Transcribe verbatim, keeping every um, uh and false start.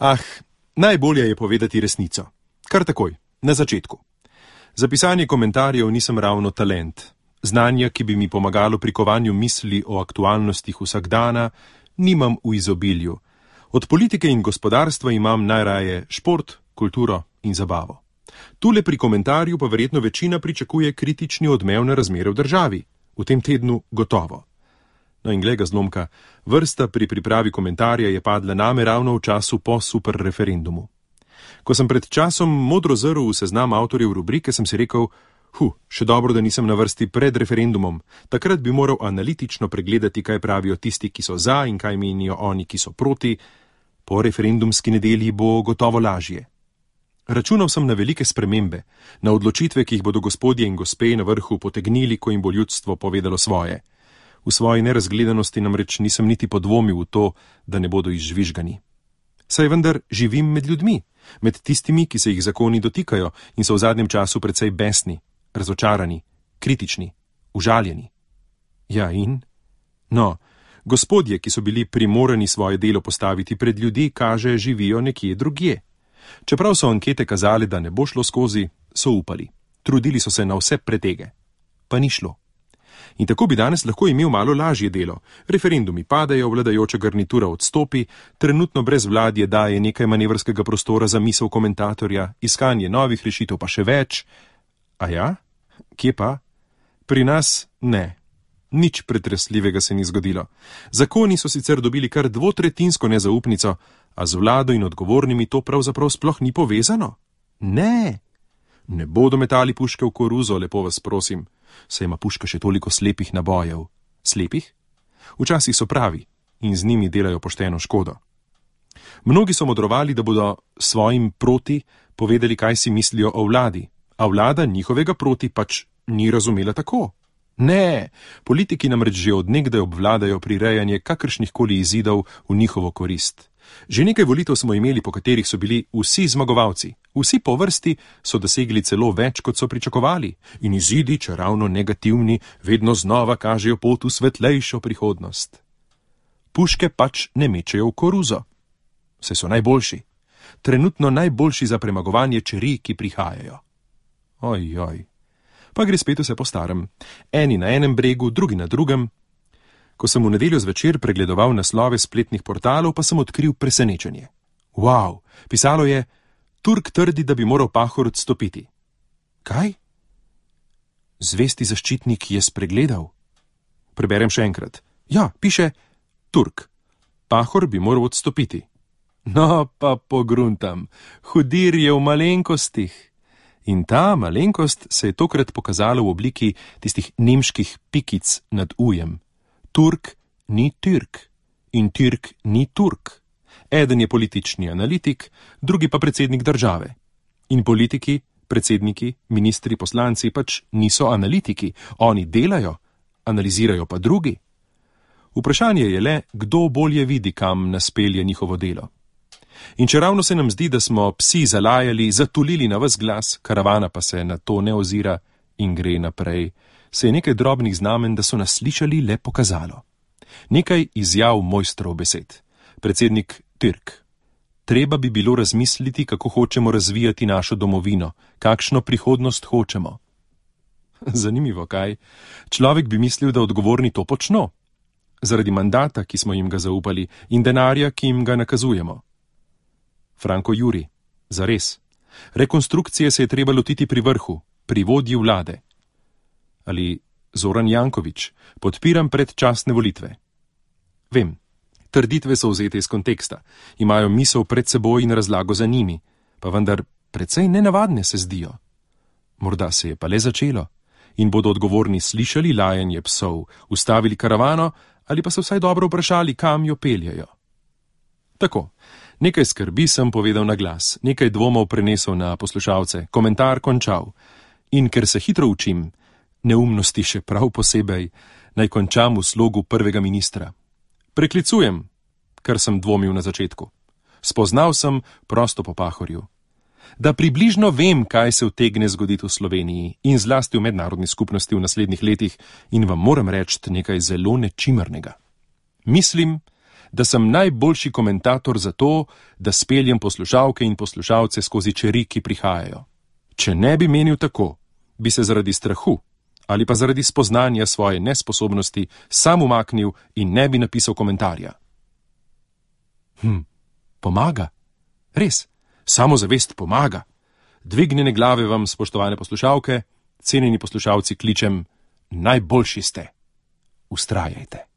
Ah, najbolje je povedati resnico. Kar takoj, na začetku. Za pisanje komentarjev nisem ravno talent. Znanja, ki bi mi pomagalo pri kovanju misli o aktualnostih vsakdana, nimam v izobilju. Od politike in gospodarstva imam najraje šport, kulturo in zabavo. Tule pri komentarju pa verjetno večina pričakuje kritični odmev na razmere v državi. V tem tednu gotovo. No in glej ga zlomka, vrsta pri pripravi komentarja je padla name ravno v času po super referendumu. Ko sem pred časom modro zrl v seznam avtorjev rubrike, sem si rekel, hu, še dobro, da nisem na vrsti pred referendumom. Takrat bi moral analitično pregledati, kaj pravijo tisti, ki so za in kaj menijo oni, ki so proti. Po referendumski nedelji bo gotovo lažje. Računal sem na velike spremembe, na odločitve, ki jih bodo gospodje in gospe na vrhu potegnili, ko jim bo ljudstvo povedalo svoje. V svoji nerazgledanosti namreč nisem niti podvomil v to, da ne bodo izžvižgani. Saj vendar živim med ljudmi, med tistimi, ki se jih zakoni dotikajo in so v zadnjem času precej besni, razočarani, kritični, užaljeni. Ja in? No, gospodje, ki so bili primorani svoje delo postaviti pred ljudi, kaže, živijo nekje drugje. Čeprav so ankete kazale, da ne bo šlo skozi, so upali. Trudili so se na vse pretege. Pa ni šlo. In tako bi danes lahko imel malo lažje delo. Referendumi padajo, vladajoča garnitura odstopi, trenutno brez vladje daje nekaj manevrskega prostora za misel komentatorja, iskanje novih rešitev pa še več. A ja? Kje pa? Pri nas ne. Nič pretresljivega se ni zgodilo. Zakoni so sicer dobili kar dvotretinsko nezaupnico, a z vlado in odgovornimi to pravzaprav sploh ni povezano. Ne. Ne bodo metali puške v koruzo, lepo vas prosim. Saj ima puška še toliko slepih nabojev. Slepih? Včasih so pravi in z njimi delajo pošteno škodo. Mnogi so modrovali, da bodo svojim proti povedali, kaj si mislijo o vladi, a vlada njihovega proti pač ni razumela tako. Ne, politiki namreč že od nekdaj obvladajo prirejanje kakršnih koli izidov v njihovo korist. Že nekaj volitev smo imeli, po katerih so bili vsi zmagovalci. Vsi po vrsti so dosegli celo več, kot so pričakovali. In izidi, če ravno negativni, vedno znova kažejo pot v svetlejšo prihodnost. Puške pač ne mečejo v koruzo. Saj so najboljši. Trenutno najboljši za premagovanje čeri, ki prihajajo. Oj, oj. Pa gre spet vse po starem. Eni na enem bregu, drugi na drugem. Ko sem v nedeljo zvečer pregledoval naslove spletnih portalov, pa sem odkril presenečenje. Wow, pisalo je, Turk trdi, da bi moral Pahor odstopiti. Kaj? Zvesti zaščitnik je spregledal. Preberem še enkrat. Ja, piše, Turk. Pahor bi moral odstopiti. No, pa pogruntam. Hudir je v malenkostih. In ta malenkost se je tokrat pokazala v obliki tistih nemških pikic nad ujem. Turk ni Türk in Türk ni Turk. Eden je politični analitik, drugi pa predsednik države. In politiki, predsedniki, ministri, poslanci pač niso analitiki. Oni delajo, analizirajo pa drugi. Vprašanje je le, kdo bolje vidi, kam nas pelje njihovo delo. In če ravno se nam zdi, da smo psi zalajali, zatulili na ves glas, karavana pa se na to ne ozira in gre naprej, se je nekaj drobnih znamen, da so nas slišali, le pokazalo. Nekaj izjav mojstrov besed. Predsednik Türk. Treba bi bilo razmisliti, kako hočemo razvijati našo domovino, kakšno prihodnost hočemo. Zanimivo, kaj? Človek bi mislil, da odgovorni to počno. Zaradi mandata, ki smo jim ga zaupali, in denarja, ki jim ga nakazujemo. Franko Juri. Zares. Rekonstrukcije se je treba lotiti pri vrhu, pri vodji vlade. Ali Zoran Janković, podpiram predčasne volitve. Vem, trditve so vzete iz konteksta, imajo misel pred seboj in razlago za njimi, pa vendar precej nenavadne se zdijo. Morda se je pa le začelo in bodo odgovorni slišali lajanje psov, ustavili karavano ali pa se vsaj dobro vprašali, kam jo peljejo. Tako, nekaj skrbi sem povedal na glas, nekaj dvomov prenesel na poslušalce, komentar končal. In ker se hitro učim, neumnosti še prav posebej, naj končam v slogu prvega ministra. Preklicujem, kar sem dvomil na začetku. Spoznal sem prosto po Pahorju. Da približno vem, kaj se utegne zgoditi v Sloveniji in zlasti v mednarodni skupnosti v naslednjih letih in vam moram reči nekaj zelo nečimrnega. Mislim, da sem najboljši komentator za to, da speljem poslušalke in poslušalce skozi čeri, ki prihajajo. Če ne bi menil tako, bi se zaradi strahu ali pa zaradi spoznanja svoje nesposobnosti sam umaknil in ne bi napisal komentarja. Hm, pomaga. Res, samozavest pomaga. Dvignjene glave vam, spoštovane poslušalke, cenjeni poslušalci, kličem, najboljši ste. Vztrajajte.